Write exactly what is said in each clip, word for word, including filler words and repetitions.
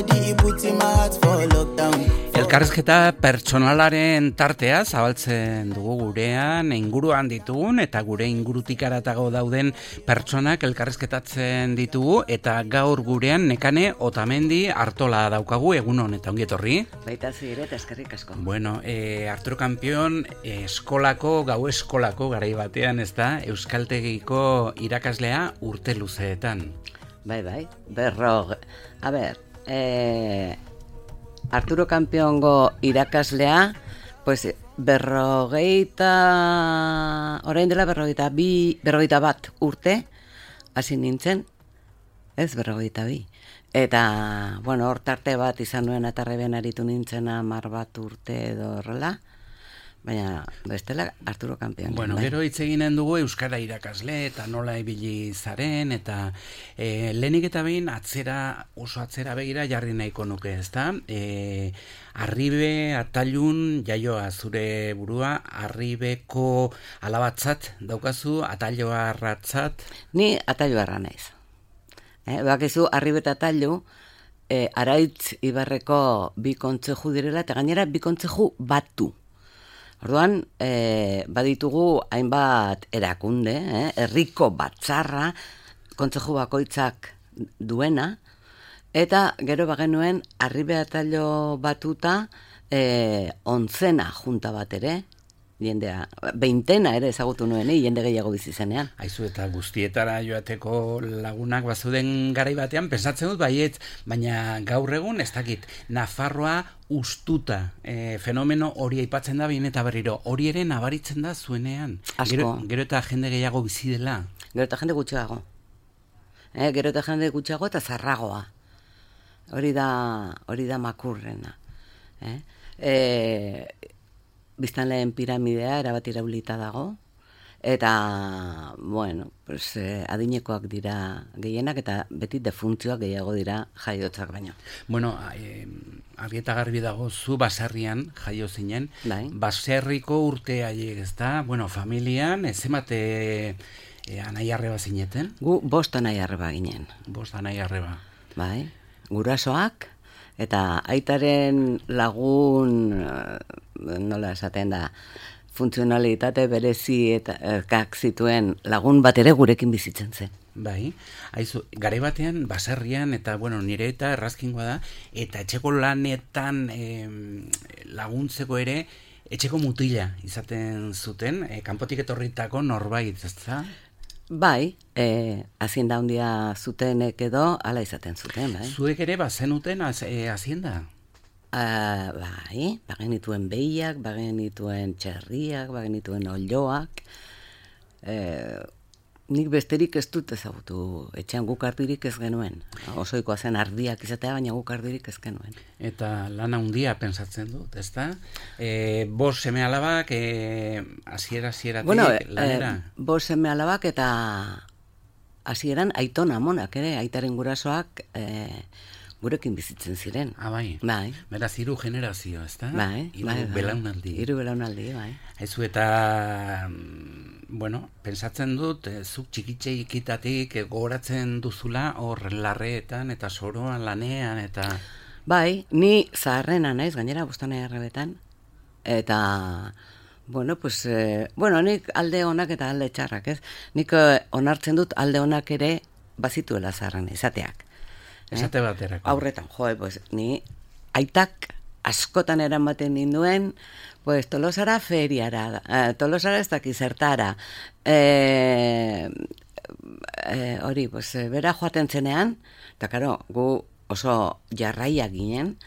body, it puts in my heart for lockdown. Elkarrizketa pertsonalaren tartea zabaltzen dugu gurean, inguruan ditugun eta gure ingurutik haratago dauden pertsonak elkarrizketatzen ditugu eta gaur gurean Nekane Otamendi Artola daukagu, egun hon eta ongi etorri. Baita zire eta eskerrik asko. Bueno, eh, Arturo Kampion eh, eskolako, gau eskolako garai batean, ez da, Euskaltegiko irakaslea urte luzeetan. Bai, bai, berro, a ber, eh... Arturo Kampiongo irakaslea, pues berrogeita, orain dela berrogeita bi, berrogeita bat urte, hasi nintzen, ez berrogeita bi. Eta, bueno, hor tarte bat izan nuen atarreben aritu nintzen hamar bat urte edo horrela, baina bestela Arturo Kampion. Bueno, bai. Gero hitz eginen dugu euskara irakasle eta nola ibili zaren eta e, lehenik eta behin atzera, oso atzera begira jarri nahiko nuke, ezta? E, Arribe Atailun jaioa zure burua, Arribeko alabatzat daukazu, Atailoa arratzat? Ni Atailoarra naiz. Eh, bakizu Arribe eta Atailu eh, Araitz Ibarreko bi kontzeju direla eta gainera bi kontzeju batu. Orduan, eh, baditugu hainbat erakunde, eh, herriko batzarra, kontzeju bakoitzak duena, eta gero bagenuen Arribe Atailo batuta eh, onzena junta bat ere, jendea, beintena ere ezagutu nuen, eh, jende gehiago bizi zenean. Aizu eta guztietara joateko lagunak bazuden garai batean, pensatzen dut baiet, baina gaur egun ez dakit, Nafarroa ustuta e, fenomeno hori aipatzen da behin eta berriro, hori ere nabaritzen da zuenean. Asko. Gero, gero eta jende gehiago bizi dela. Gero eta jende gutxiago. Eh, gero eta jende gutxiago eta zarragoa. Hori da, hori da makurrena. Eh? E, biztanleen piramidea erabat iraulita dago, eta, bueno, pues, eh, adinekoak dira gehienak, eta beti defuntzioak gehiago dira jaiotzak baino. Bueno, eh, argi eta garbi dago, zu baserrian jaio zinen, Bai. baserriko urte haiek, ez da? Bueno, familian, ez emate eh, anai arreba zineten? Gu bost anai arreba ginen. Bost anai arreba. Bai, gurasoak, eta aitaren lagun, nola esaten da, funtzionalitate berezi eta erkak zituen lagun bat ere gurekin bizitzen zen. Bai, haizu, gare batean, baserrian, eta, bueno, nire eta errazkingoa da, eta etxeko lanetan eh, laguntzeko ere, etxeko mutila izaten zuten, eh, kanpotik etorritako norbait, ez da? Bai, eh, hazienda handia zutenek edo, ala izaten zuten, bai. Zuek ere bazenuten az, eh, hazienda? Uh, bai, bagenituen behiak, bagenituen txerriak, bagenituen olioak. Eh, nik besterik ez dut ezagutu, etxean guk ardirik ez genuen. Osoikoa zen ardiak izatea, baina guk ardirik ez genuen. Eta lana handia pensatzen dut, ez da? E, bos seme alabak, e, hasiera hasieratik bueno, lanera? Eh, bos seme alabak eta hasieran aiton amonak ere, aitaren gurasoak eh, gurekin bizitzen ziren. Ah, bai. Bai. Beraz, hiru generazio, ez da? Bai, Hiru bai, bai. belaunaldi. Hiru belaunaldi, bai. Haizu eta, bueno, pentsatzen dut, eh, zuk txikitxeikitatik eh, gogoratzen duzula hor larreetan eta soroan lanean eta... Bai, ni zaharrena naiz, gainera bostana errebetan, eta... Bueno, pues, eh, bueno, nik alde onak eta alde txarrak, ez? Nik eh, onartzen dut alde onak ere bazituela zaharrena izateak. Esate baterako. Aurretan, joe, pues, ni aitak askotan eramaten ninduen, pues, Tolosara feriara, eh, Tolosara ez daki zertara, eh, eh, hori, pues, bera joaten zenean, eta karo, gu oso jarraiak ginen,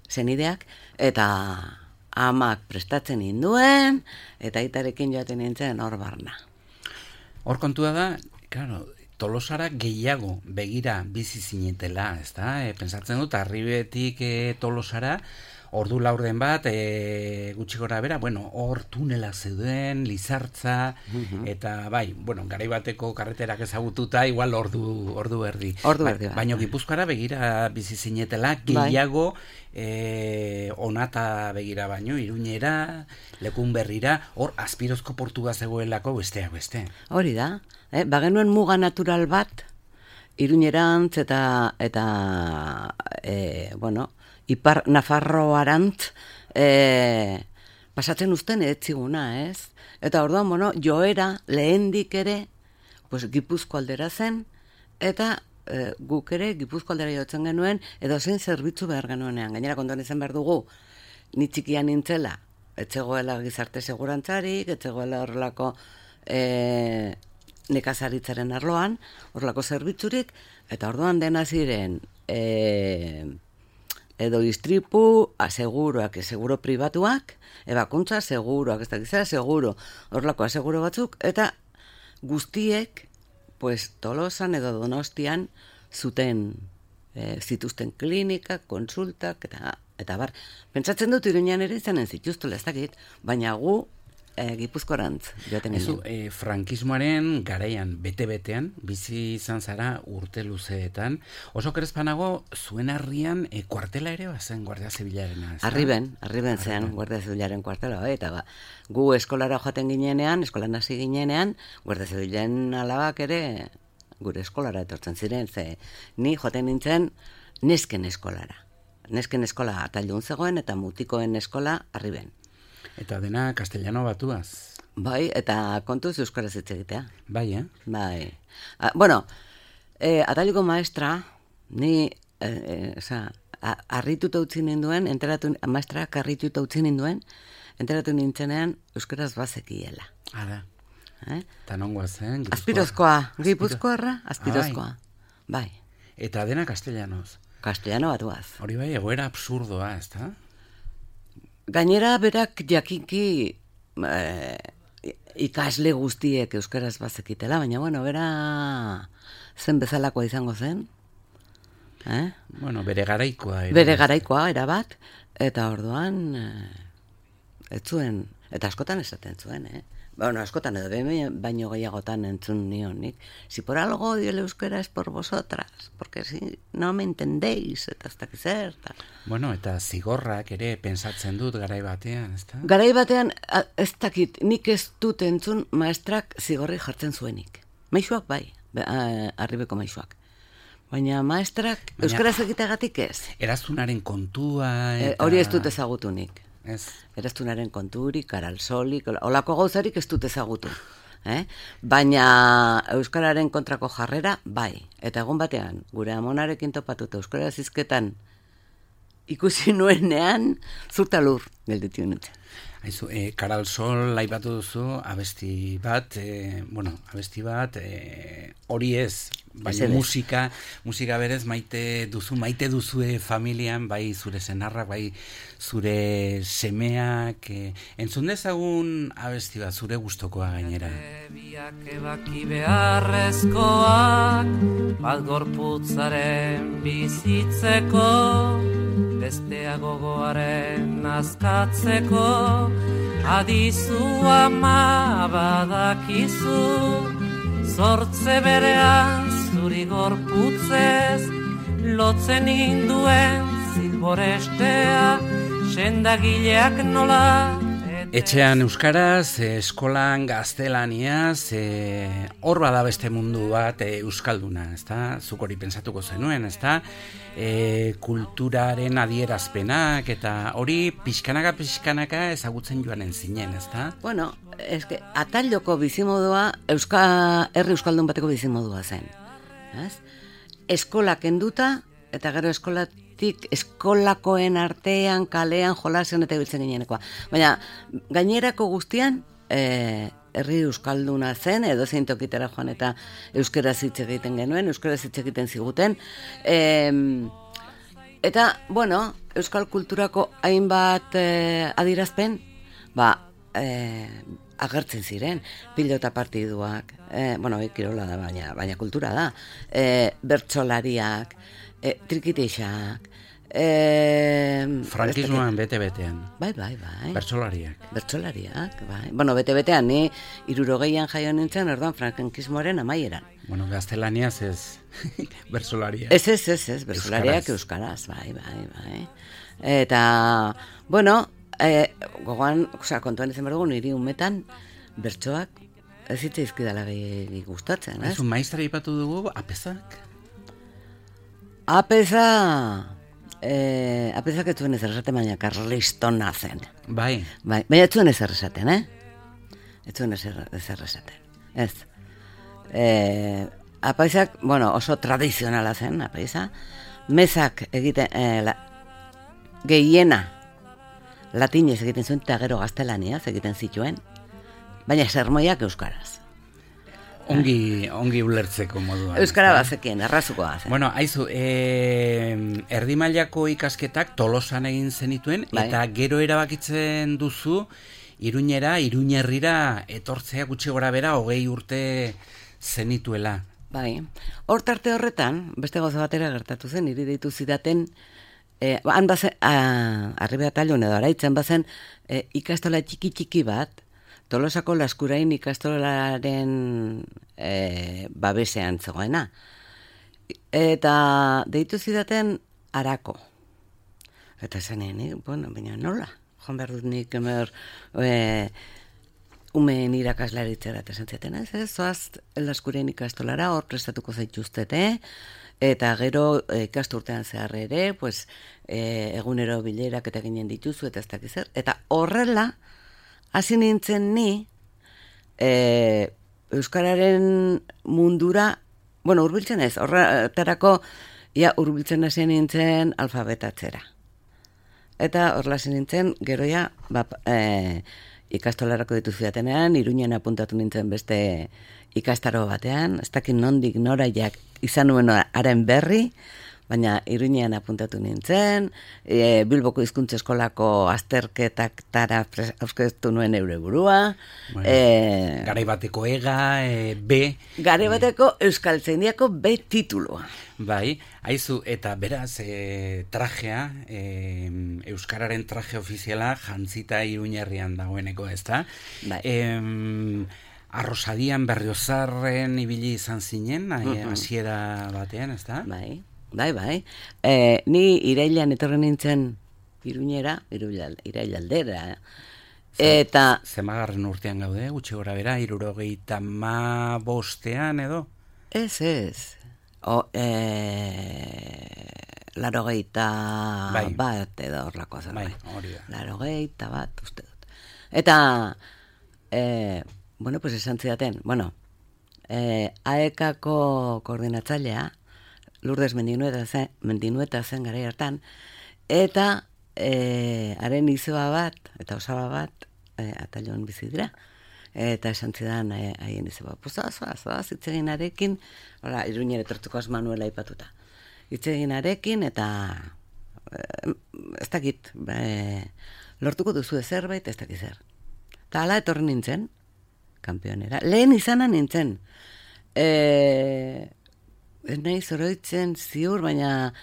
zenideak, eta amak prestatzen ninduen, eta aitarekin joaten nintzen hor barna. Hor kontua da, claro, Tolosara gehiago begira bizi zinetela, ez da? E, pensatzen dut, Arribetik e, Tolosara, ordu laurden bat, e, gutxi gora bera, bueno, hor tunela zeuden, Lizartza, uh-huh. eta bai, bueno, garai bateko karreterak ezagututa, igual ordu, ordu erdi. Ordu erdi, ba, baina Gipuzkoara begira bizi zinetela, gehiago e, onata begira baino, Iruñera, Lekun Berrira, hor Azpirozko portua zegoelako besteak beste. Hori da, eh? Bagenuen muga natural bat, Iruñerantz eta, eta e, bueno, Ipar Nafarroarantz e, pasatzen uzten etziguna, ez? Eta orduan, bueno, joera lehendik ere, pues, Gipuzko aldera zen, eta e, guk ere Gipuzko aldera jotzen genuen, edo zein zerbitzu behar genuenean. Gainera, kontuan izan behar dugu, ni txikian nintzela, etzegoela gizarte segurantzarik, etzegoela horrelako e, nekazaritzaren arloan, horrelako zerbitzurik, eta orduan dena ziren e, edo istripu, aseguroak, seguro pribatuak, ebakuntza, seguroak, ez dakizera, seguro, horrelako aseguro batzuk, eta guztiek, pues, Tolosan edo Donostian zuten, e, zituzten klinikak, konsultak, eta, eta bar. Pentsatzen dut Iruñan ere izanen zituztela, ez dakit, baina gu, E, Gipuzkorantz joaten Ezu, e, frankismoaren garaian, bete-betean, bizi izan zara urte luzeetan, oso kerezpanago zuen harrian e, kuartela ere bazen Guardia Zibilarena. Arriben, arriben zen Guardia Zibilaren kuartela, bai, eta ba, gu eskolara joaten ginenean, eskolan hasi ginenean, Guardia Zibilaren alabak ere gure eskolara etortzen ziren, ze ni joaten nintzen nesken eskolara. Nesken eskola atailun zegoen eta mutikoen eskola arriben. Eta dena castellano batuaz. Bai, eta kontuz euskaraz hitz egitea. Bai, eh? Bai. A, bueno, eh, ataliko maestra, ni, eh, eh, oza, harrituta utzi ninduen, enteratu, maestra harrituta utzi ninduen, enteratu nintzenean euskaraz bazekiela. Ara. Eh? Eta nongoa zen? Azpirozkoa, Gipuzkoarra, azpirozkoa. Bai. Eta dena castellanoz. Castellano batuaz. Hori bai, egoera absurdoa, ez da? Gainera berak jakinki eh, ikasle guztiek euskaraz bazekitela, baina bueno, bera zen bezalakoa izango zen. Eh? Bueno, bere garaikoa. Era, bere garaikoa, erabat, eta orduan eh, ez zuen, eta askotan esaten zuen, eh? Bueno, askotan edo baino gehiagotan entzun nionik. Si por algo odio el euskera es por vosotras, porque si no me entendéis, eta ez dakiz zer. Bueno, eta zigorrak ere pensatzen dut garai batean, ez da? Garai batean, ez dakit, nik ez dut entzun maestrak zigorri jartzen zuenik. Maisuak bai, arribeko maisuak. Baina maestrak Baina, euskaraz egiteagatik ez. Eraztunaren kontua eta... E, hori ez dut ezagutunik. Ez. Eraztunaren konturik, karalsolik, olako gauzarik ez dut ezagutu. Eh? Baina euskararen kontrako jarrera, bai. Eta egun batean, gure amonarekin topatuta euskaraz hizketan ikusi nuenean, zurtalur gelditu nintzen. Aizu, e, Karalsol laibatu duzu, abesti bat, e, bueno, abesti bat, e, hori ez, baina musika, musika berez maite duzu, maite duzue familian, bai zure senarrak, bai zure semeak, e, entzun dezagun abesti bat, zure gustokoa gainera. Biak ebaki beharrezkoak, bat gorputzaren bizitzeko, bestea gogoaren azkatzeko, adizu ama badakizu, zortze berean zuri gorputzez, lotzen induen zilborestea, sendagileak nola. Etxean euskaraz, eskolan gaztelaniaz, hor e, bada beste mundu bat e, euskalduna, ezta? Zuk hori pentsatuko zenuen, ezta? E, kulturaren adierazpenak eta hori pixkanaka pixkanaka ezagutzen joanen zinen, ezta? Bueno, eske atailoko bizimodua euska herri euskaldun bateko bizimodua zen. Ez? Eskola kenduta eta gero eskolat eskolakoen artean, kalean, jolasen eta ibiltzen ginenekoa. Baina, gainerako guztian, e, herri euskalduna zen, edo zein tokitara joan eta euskaraz hitz egiten genuen, euskaraz hitz egiten ziguten. E, eta, bueno, euskal kulturako hainbat e, adirazpen, ba, e, agertzen ziren, pilota partiduak, e, bueno, kirola da, baina, baina kultura da, e, bertsolariak, E, trikiteixak, e, frankismoan bete-betean. Bai, bai, bai. Bertsolariak. Bertsolariak, bai. Bueno, bete-betean, ni irurogeian jaio nintzen, orduan frankismoaren amaieran. Bueno, gaztelaniaz ez bertsolariak. Ez, ez, ez, ez, bertsolariak euskaraz, bai, bai, bai. Eta, bueno, e, gogoan, oza, kontuan izan berdugu, niri umetan, bertsoak, ez hitz izkidala gehi gustatzen, ez? Ez un maistra ipatu dugu, apezak? apeza... Eh, apezak ez zuen ezer esaten, baina karlistona zen. Bai. Bai, baina ez zuen ezer esaten, eh? Ez zuen ezer, ezer esaten. Ez. Eh, apezak, bueno, oso tradizionala zen, apeza. Mezak egiten, eh, la, gehiena latinez egiten zuen, eta gero gaztelaniaz egiten zituen, baina sermoiak euskaraz. Ongi, ongi ulertzeko moduan. Euskara bazekien, errazukoa zen. Bueno, aizu, e, erdi mailako ikasketak Tolosan egin zenituen, Bai. eta gero erabakitzen duzu, Iruñera, Iruñerrira etortzea gutxi gora bera, hogei urte zenituela. Bai, hor tarte horretan, beste gauza batera gertatu zen, hiri deitu zidaten, eh, han bazen, arribea talun edo araitzen bazen, eh, ikastola txiki-txiki bat, Tolosako Laskurain ikastolaren e, babesean zegoena. Eta deitu zidaten Arako. Eta zenean, bueno, baina nola? Joan behar dut nik emer e, umeen irakaslaritzera eta zentziaten, ez? Ez, zoaz Laskurain ikastolara hor prestatuko zaituztete, eta gero e, ikasturtean zehar ere, pues, e, egunero bilerak eta ginen dituzu, eta ez dakiz zer. Eta horrela, hasi nintzen ni, e, Euskararen mundura, bueno, urbiltzen ez, horretarako, ia urbiltzen hasi nintzen alfabetatzera. Eta horrela hasi nintzen, gero ja, ba, e, ikastolarako dituzu datenean, Iruñen apuntatu nintzen beste ikastaro batean, ez dakit nondik noraiak izan nuen haren berri, baina Iruñean apuntatu nintzen, e, Bilboko hizkuntza eskolako azterketak tara auskeztu nuen eure burua. Bueno, e, garaibateko ega, e, B. Garaibateko Euskaltzaindiako B titulua. Bai, haizu, eta beraz, e, trajea, e, Euskararen traje ofiziala jantzita Iruñerrian dagoeneko, ez da? Bai. E, Arrosadian Berriozarren ibili izan zinen, hasiera batean, ez da? Bai. Bai, bai. E, ni irailan etorri nintzen Iruñera, irailaldera. Eta... Zemagarren urtean gaude, gutxi gora bera, hirurogeita ma bostean edo? Ez, ez. O, e, larogeita bai. bat edo horlako zen. Bai, hori da. Larogeita bat, uste dut. Eta, e, bueno, pues esan zidaten, bueno, e, aekako koordinatzailea, Lourdes Mendinueta zen, Mendinueta zen garai hartan, eta e, haren izeba bat, eta osaba bat, e, atalion bizi dira. Eta esan zidan e, haien izeba, poza, zoa, zoa, zitzeginarekin, hola, Iruñera etortuko Manuela aipatuta. Zitzeginarekin, eta e, ez dakit, e, lortuko duzu zerbait, ez dakit zer. Eta hala etorri nintzen, kanpionera. Lehen izana nintzen, eee, ez nahi zoroitzen ziur, baina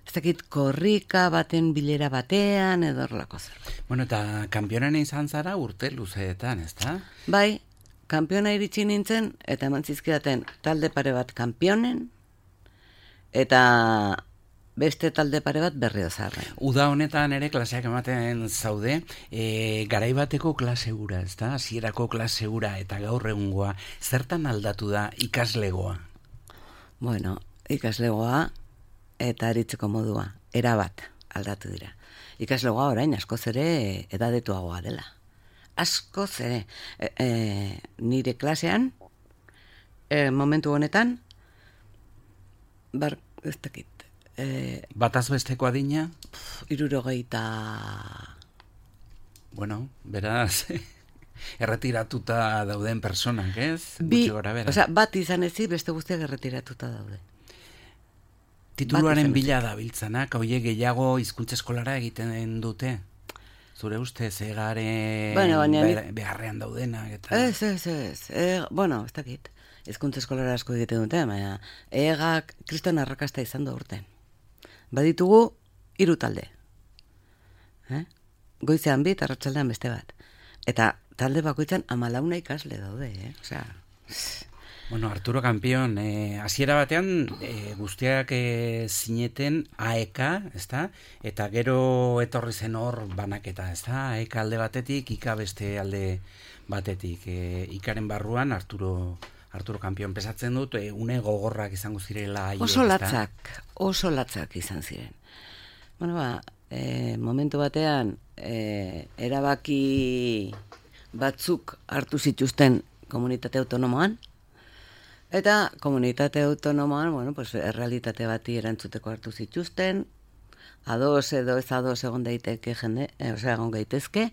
ez dakit korrika baten bilera batean edo horrelako zer. Bueno, eta kanpionan izan zara urte luzeetan, ez da? Bai, kanpiona iritsi nintzen, eta eman zizkidaten talde pare bat kanpionen, eta beste talde pare bat Berriozarren. Uda honetan ere klaseak ematen zaude, e, garaibateko klase hura, ez da? Hasierako klase hura eta gaur egungoa, zertan aldatu da ikaslegoa? Bueno, ikaslegoa eta aritzeko modua, erabat aldatu dira. Ikaslegoa orain askoz ere edadetuagoa dela. Askoz ere. E, e, nire klasean, e, momentu honetan, bar, ez dakit. E, Bataz besteko adina? Hirurogeita... Bueno, beraz... erretiratuta dauden personak, ez? Bi, gora bera. Osea, bat izan ezi, beste guztiak erretiratuta daude. Tituluaren bila dabiltzanak, hoiek gehiago hizkuntza eskolara egiten dute? Zure ustez, egaren bueno, be, beharrean daudenak, eta... Ez, ez, ez. E, bueno, ez dakit. Hizkuntza eskolara asko egiten dute, baina egak kriston arrakasta izan da urten. Baditugu, hiru talde. Eh? Goizean bi, eta arratsaldean beste bat. Eta talde bakoitzan amalauna ikasle daude, eh? Osea... Bueno, Arturo Kampion, eh, hasiera batean eh, guztiak eh, zineten A E K, ezta? Eta gero etorri zen hor banaketa, ezta? A E K alde batetik, Ika beste alde batetik. Eh, Ikaren barruan Arturo Arturo Kampion, pesatzen dut, e, une gogorrak izango zirela. Oso latzak, oso latzak izan ziren. Bueno, ba, e, momentu batean, e, erabaki batzuk hartu zituzten komunitate autonomoan, eta komunitate autonomoan, bueno, pues, errealitate bati erantzuteko hartu zituzten, ados edo ez ados egon daiteke jende, e, osea, egon gaitezke,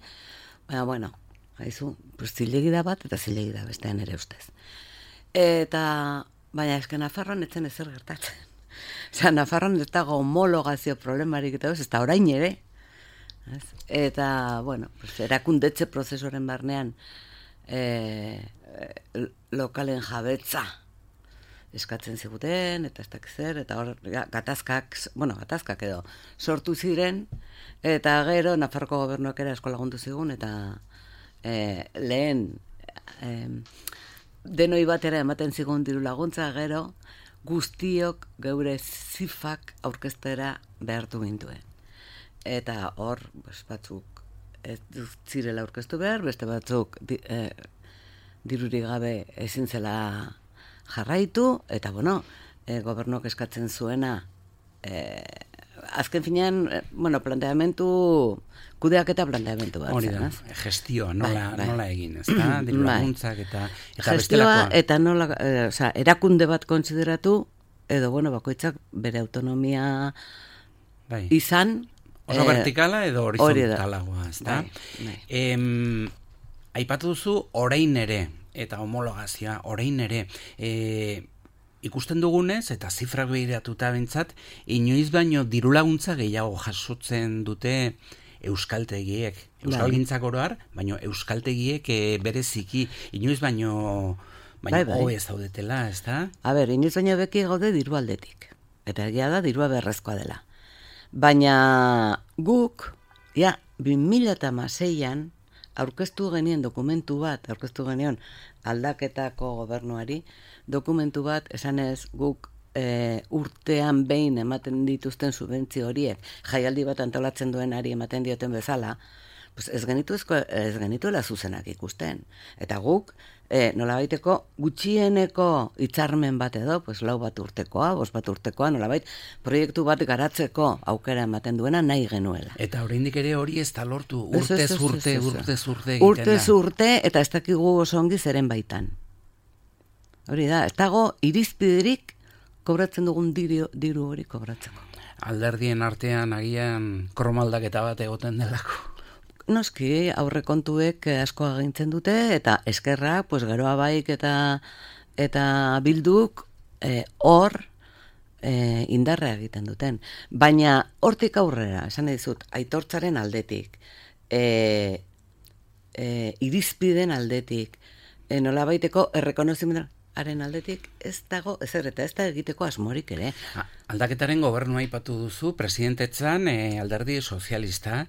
baina, bueno, haizu, pues, zilegi da bat, eta zilegi da bestean ere ustez. Eta, baina esken Nafarroan etzen ezer gertatzen. Osea, Nafarroan ez dago homologazio problemarik eta ez da orain ere. Ez? Eta, bueno, pues, erakundetze prozesoren barnean e, e, lokalen jabetza eskatzen ziguten, eta ez dakit zer, eta hor gatazkak, bueno, gatazkak edo sortu ziren, eta gero Nafarroko gobernuak ere asko lagundu zigun, eta e, lehen e, denoi batera ematen zigun diru laguntza, gero guztiok geure zifak aurkeztera behartu gintuen. Eta hor, pues, batzuk ez zirela aurkeztu behar, beste batzuk di, eh, dirurik gabe ezin zela jarraitu, eta bueno, eh, gobernuak eskatzen zuena, eh, azken finean, eh, bueno, planteamentu, kudeak eta planteamentu bat. Hori da, gestioa, nola, bai, bai. nola egin, ez da? Diru laguntzak eta, eta gestioa bestelakoa. Eta nola, eh, oza, erakunde bat kontsideratu, edo, bueno, bakoitzak bere autonomia bai. izan, oso eh, vertikala edo horizontalagoa, ez da? Bai, bai. Em, aipatu duzu orain ere, eta homologazioa orain ere, e, ikusten dugunez, eta zifrak behiratuta bintzat, inoiz baino dirulaguntza gehiago jasotzen dute euskaltegiek. Euskalgintzak oroar, baino euskaltegiek e, bereziki, inoiz baino baino bai, bai. hobe ez daudetela, ez da? A ber, inoiz baino beki gaude diru aldetik. Eta egia da, dirua berrezkoa dela. Baina guk, ja, bi mila hamaseian aurkeztu genien dokumentu bat, aurkeztu genion aldaketako gobernuari, dokumentu bat, esanez guk e, urtean behin ematen dituzten subentzio horiek, jaialdi bat antolatzen duenari ematen dioten bezala, pues ez genituzko, ez genituela zuzenak ikusten. Eta guk, e, nolabaiteko gutxieneko hitzarmen bat edo, pues lau bat urtekoa, bost bat urtekoa, nolabait proiektu bat garatzeko aukera ematen duena nahi genuela. Eta oraindik ere hori ez da lortu, urtez urte, urtez urte egiten da. Urtez urte, eta ez dakigu oso ongi zeren baitan. Hori da, ez dago irizpiderik kobratzen dugun diru, diru hori kobratzeko. Alderdien artean agian kromaldaketa bat egoten delako. Noski, aurrekontuek asko agintzen dute, eta eskerra, pues, geroa baik eta, eta bilduk eh, hor eh, indarra egiten duten. Baina hortik aurrera, esan dizut, aitortzaren aldetik, eh, eh, irizpiden aldetik, eh, nola baiteko errekonozimenaren aldetik, ez dago, ezer eta ez da egiteko asmorik ere. Aldaketaren gobernua aipatu duzu, presidentetzan eh, alderdi sozialista,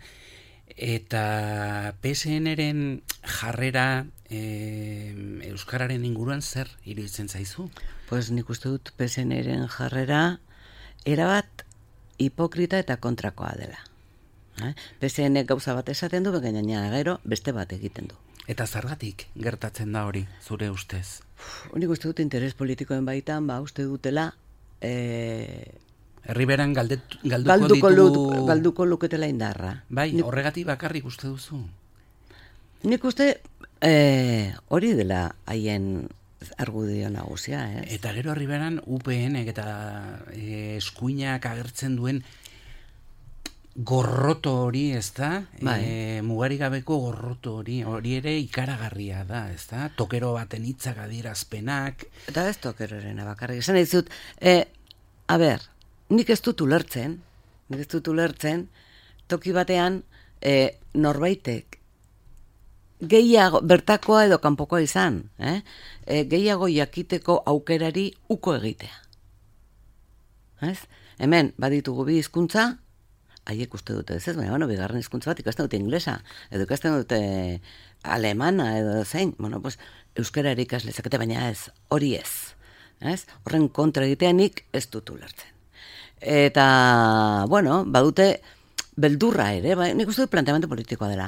eta P S N-ren jarrera e, euskararen inguruan zer iruditzen zaizu? Pues nik uste dut P S N-ren jarrera erabat hipokrita eta kontrakoa dela. Eh? P S N gauza bat esaten du, gainera gero beste bat egiten du. Eta zergatik gertatzen da hori, zure ustez? Uf, nik uste dut interes politikoen baitan, ba, uste dutela e... Herriberan galdet, galduko, galduko, ditu... lu, galduko luketela indarra. Bai, nik, horregatik bakarrik uste duzu? Nik uste eh, hori dela haien argudio nagusia. Ez? Eta gero herriberan U P N eta eh, eskuinak agertzen duen gorroto hori, ez da? Bai. E, mugarigabeko gorroto hori, hori ere ikaragarria da, ez da? Tokero baten hitzak adierazpenak. Eta ez tokeroren bakarrik. Esan dizut, eh, a ber, nik ez dut ulertzen, nik ez dut ulertzen, toki batean e, norbaitek gehiago, bertakoa edo kanpokoa izan, eh? e, gehiago jakiteko aukerari uko egitea. Ez? Hemen, baditugu bi hizkuntza, haiek uste dute ez ez, baina, bueno, bigarren hizkuntza bat ikasten dute inglesa, edo ikasten dute alemana, edo zein, bueno, pues, euskara ikasle zakete, baina ez, hori ez. Ez? Horren kontra egiteanik ez dut ulertzen. Eta, bueno, badute beldurra ere, ba, nik uste dut planteamendu politikoa dela.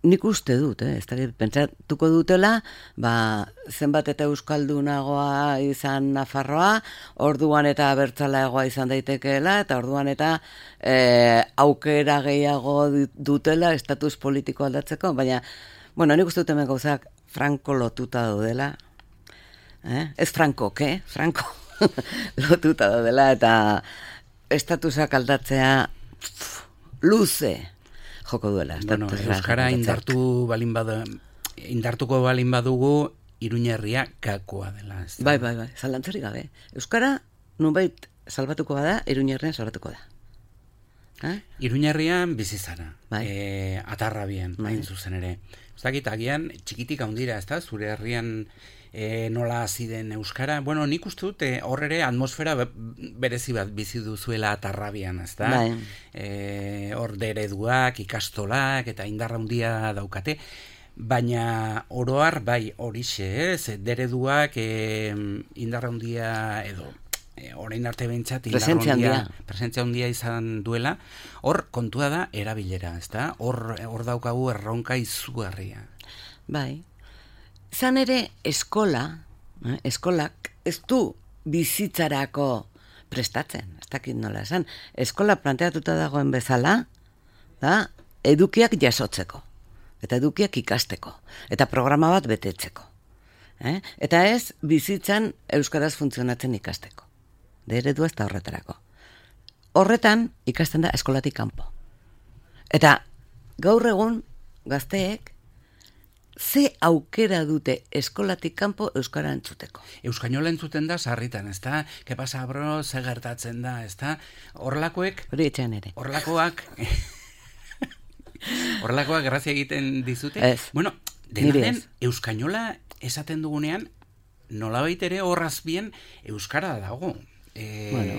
nik uste dut, eh? Ez dakit, pentsatuko dutela, ba, zenbat eta euskaldunagoa izan Nafarroa, orduan eta abertzaleagoa izan daitekeela, eta orduan eta e, aukera gehiago dutela estatus politiko aldatzeko, baina, bueno, nik uste dut hemen gauzak franko lotuta daudela, eh? Ez franko, ke? Franko lotuta daudela, eta estatusak aldatzea pff, luze joko duela. Bueno, euskara indartu balin bada, indartuko balin badugu, Iruñerria gakoa dela. Ez da? Bai, bai, bai, zalantzarik gabe. Euskara nunbait salbatuko bada, Iruñerrian salbatuko da. Eh? Iruñerrian bizi zara. Bai. E, atarrabian, Bai. hain zuzen ere. Ez dakit, agian txikitik handira, ez da? Zure herrian e, nola hasi den euskara. Bueno, nik uste dut e, hor ere atmosfera be, berezi bat bizi duzuela atarrabian, ez da? Bai. E, hor dereduak, ikastolak eta indarra handia daukate. Baina oroar bai horixe, ez? Dereduak e, indarra handia edo e, orain arte behintzat Presentzia handia. presentzia handia izan duela. Hor kontua da erabilera, ez da? Hor, hor daukagu erronka izugarria. Bai. Zan ere eskola, eh, eskolak ez du bizitzarako prestatzen, ez dakit nola esan. Eskola planteatuta dagoen bezala, da, edukiak jasotzeko, eta edukiak ikasteko, eta programa bat betetzeko. Eh? Eta ez bizitzan euskaraz funtzionatzen ikasteko. De eredua ez da horretarako. Horretan ikasten da eskolatik kanpo. Eta gaur egun gazteek ze aukera dute eskolatik kanpo euskara entzuteko. Euskainola entzuten da sarritan, ez da? Ke pasa, bro, ze gertatzen da, ez da? Horlakoek, Hori etxean ere. horlakoak... Horlakoak grazia egiten dizute? Ez. Bueno, Niri dena den, ez. euskainola esaten dugunean, nolabait ere horraz bien euskara dago. E, Bueno.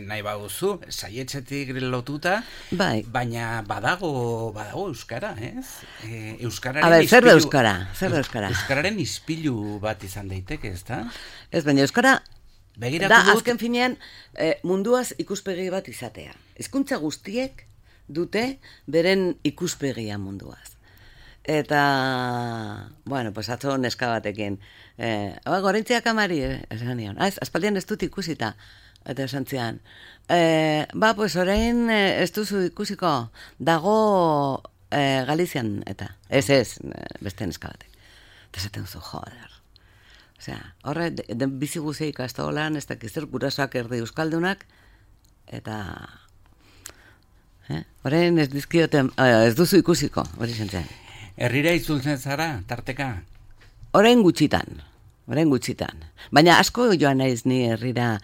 Nahi baduzu, saietxetik lotuta, Bai. baina badago, badago euskara, ez? E, euskararen A ber, zer da ispilu- euskara? Zer da euskara? Euskararen ispilu bat izan daiteke, ez da? Ez, baina euskara Begiratu da dut- azken finean eh, munduaz ikuspegi bat izatea. Hizkuntza guztiek dute beren ikuspegia munduaz. Eta, bueno, pues atzo neska batekin, eh, ba, gorentziak amari, eh, esan nion, ah, ez, aspaldian ez dut ikusita, eta esan zian, eh, ba, pues orain eh, ez duzu ikusiko, dago eh, Galizian, eta, ez ez, eh, beste neska batek. Eta esaten duzu, joder. Osea, horre, de, de bizi guzia ikastolan, ez dakiz zer gurasoak erdi euskaldunak, eta... Eh? Orain ez dizkioten, eh, ez duzu ikusiko, hori zentzen. Herrira itzultzen zara, tarteka? Orain gutxitan, orain gutxitan. Baina asko joan naiz ni herrira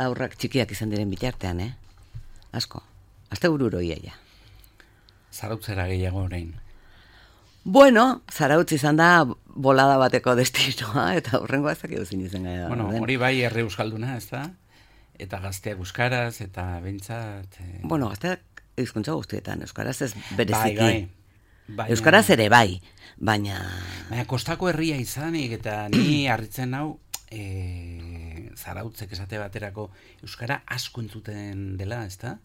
aurrak txikiak izan diren bitartean, eh? Asko. Aste bururo iaia. Zarautzera gehiago orain. Bueno, Zarautz izan da bolada bateko destinoa, eta horrengoa ezak euzin izan gara. Bueno, hori bai herri euskalduna, ez da? Eta gazteak euskaraz, eta behintzat... Eh... Bueno, gazteak hizkuntza guztietan, euskaraz ez bereziki. Bai, bai. Baina, Euskaraz ere bai, baina... Baina kostako herria izanik, eta ni harritzen hau, e, Zarautzek esate baterako euskara asko entzuten dela, ez da?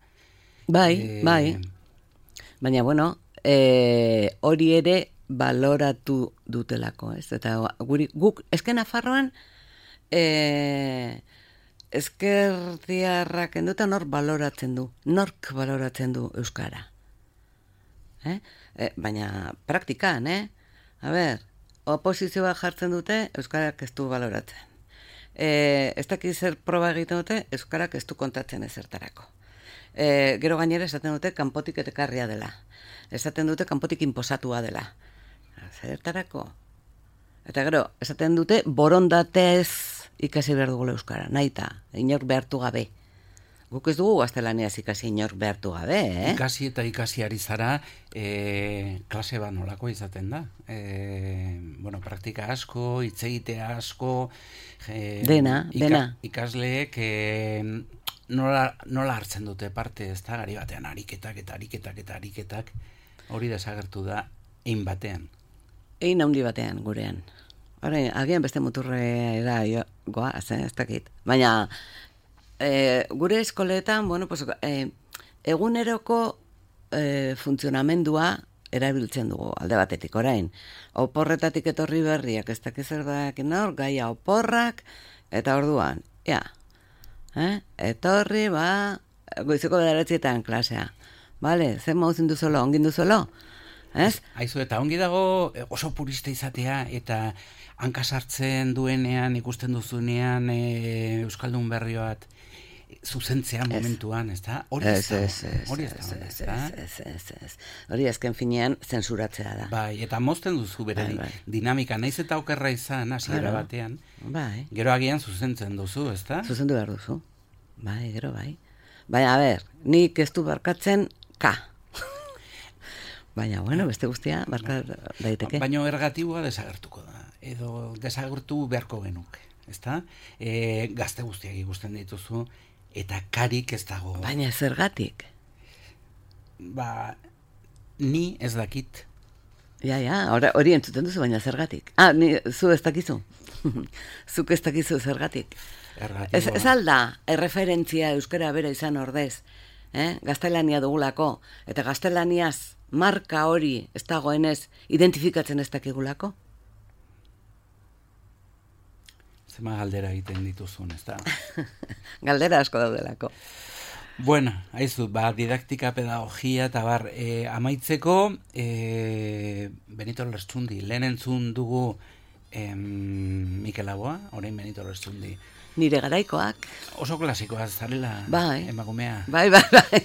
Bai, E, bai. Baina, bueno, e, hori ere baloratu dutelako, ez? Eta guri, guk, esken Nafarroan, e, ezkertiarrak enduta nor baloratzen du, nork baloratzen du euskara. Eh? E, baina praktikan, eh? A ber, oposizioa jartzen dute, euskarak ez du baloratzen. E, ez dakiz zer proba egiten dute, euskarak ez du kontatzen ezertarako. E, gero gainera esaten dute kanpotik etekarria dela. Esaten dute kanpotik inposatua dela. Zertarako? Eta gero, esaten dute borondatez ikasi behar dugula euskara, nahita, inor behartu gabe. Guk ez dugu gaztelaniaz ikasi inor behartu gabe, eh? Ikasi eta ikasi ari zara, e, klase bat nolako izaten da. E, bueno, praktika asko, hitz egitea asko, e, Dena, dena. Ikasleek e, nola, nola hartzen dute parte, ez da, gari batean ariketak eta ariketak eta ariketak, hori desagertu da, ein batean. Ein handi batean gurean. Orain, agian beste muturrera jo, goaz, eh, ez dakit. Baina, e, gure eskoletan, bueno, pues, e, eguneroko e, funtzionamendua erabiltzen dugu alde batetik orain. Oporretatik etorri berriak, ez dakiz zer dakin hor, gaia oporrak, eta orduan, ja, eh? etorri, ba, goizeko bederatzietan klasea. Bale, zen mauzin duzolo, ongin duzolo? Ez? Aizu, eta ongi dago oso purista izatea, eta hankasartzen duenean, ikusten duzunean e, Euskaldun berri bat, zuzentzea momentuan, ez da? Hori ez da, hori ez da, ez da? Ez, ez, ez. Hori azken finean zensuratzea da. Bai, eta mozten duzu bere Bai, bai. dinamika, naiz eta okerra izan, hasiera Claro. batean, Bai, gero agian zuzentzen duzu, ez da? zuzendu behar duzu. Bai, gero bai. Baina, a ber, nik ez du barkatzen ka. Baina, bueno, beste guztia barkat daiteke. Baina ergatibua desagertuko da, edo desagertu beharko genuke, ez da? E, gazte guztiak ikusten dituzu, eta karik ez dago. Baina zergatik. Ba, ni ez dakit. Ja, ja, ora- hori entzuten duzu, baina zergatik. Ah, ni, zu ez dakizu. Zuk ez dakizu zergatik. Ergatiboa. Ez, ez alda, erreferentzia euskara bera izan ordez, eh? Gaztelania dugulako, eta gaztelaniaz marka hori ez dagoenez identifikatzen ez dakigulako. Zema galdera egiten dituzun, ez da? Galdera asko daudelako. Bueno, haizu, ba, didaktika, pedagogia, eta bar, e, amaitzeko, e, Benito Lertxundi, lehen entzun dugu em, Mikel Laboa, orain Benito Lertxundi. Nire garaikoak. Oso klasikoa zarela, Bai. emakumea. Bai, bai, bai.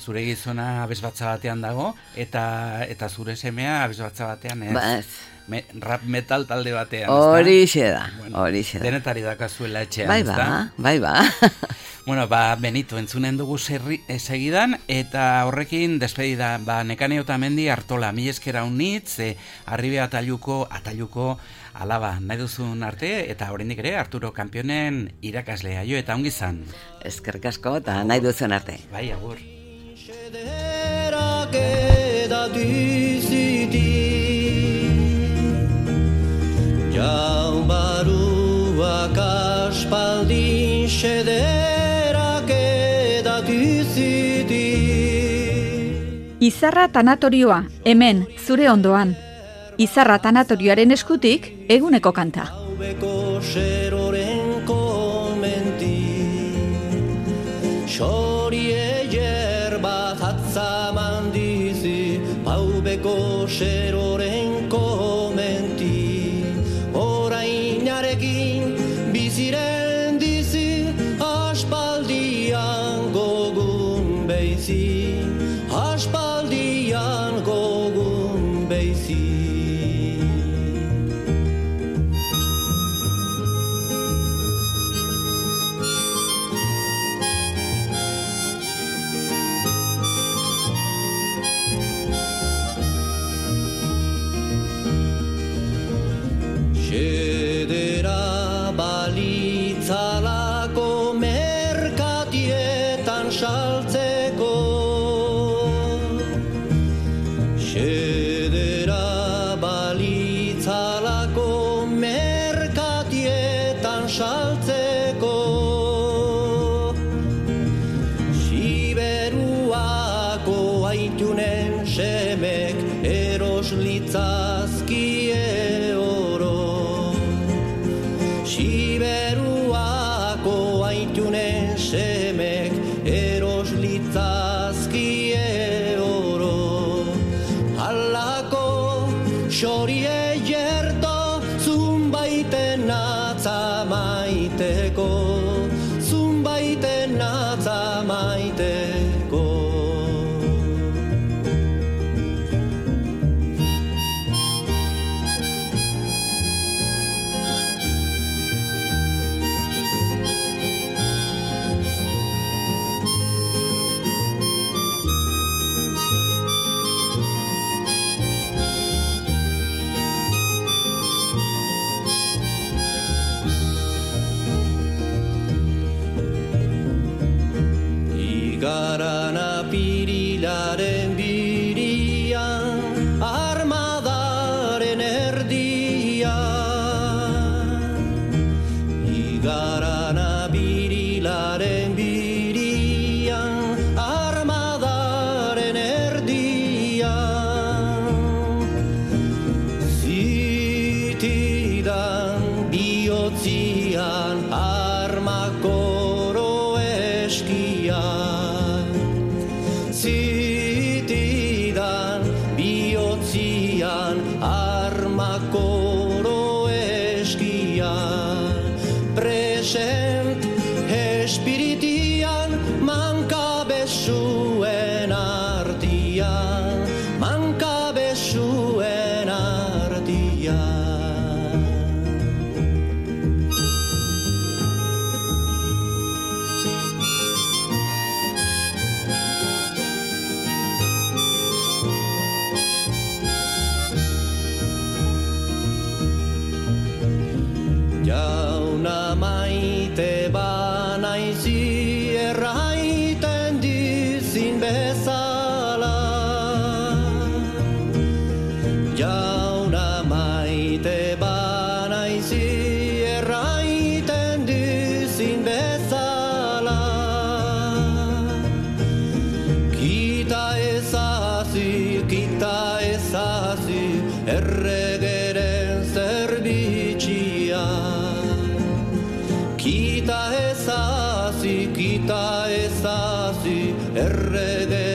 Zure gizona abesbatza batean dago, eta eta zure semea abesbatza batean ez. Ba, ez. Me, rap metal talde batean, Horixe da, Bueno, horixe da. denetari dakazuela etxean, Bai, ezta? ba, bai, ba. Bueno, ba, Benito, entzunen dugu serri, eh, segidan, eta horrekin despedida, ba, Nekane Otamendi Artola, mi eskera unitz, eh, arribe atailuko, atailuko alaba, nahi duzun arte, eta oraindik ere, Arturo Kanpionen irakaslea, jo, eta ongi zan. Eskerrik asko, eta nahi duzen arte. Bai, agur. Xederak edatiziti Jau baruak aspaldin xederak edatiziti Izarra tanatorioa, hemen, zure ondoan. Izarra tanatorioaren eskutik, eguneko kanta. Haubeko seroren komenti Xorie yerbat atzaman dizi Haubeko seroren komenti Orainarekin biziren dizi Aspaldian gogun beizi Aspaldian gogun beizi Xedera balitzalako merkatietan saltzeko Xedera balitzalako merkatietan saltzeko Siberuako aitunen semek eros litzazkie Siberuako aitunen semek eros litzazkie oro Halako xorie jerto zunbaiten atza maiteko Zunbaiten atza maiteko espiritian mankabezuen artian, mankabezuen artian. Jauna maite banaizi erraiten dizin bezala. Jauna maite banaizi erraiten dizin bezala. Kita ezazi, kita ezazi, erregeren zerbitxia. Kita ezazi, kita ezazi, errege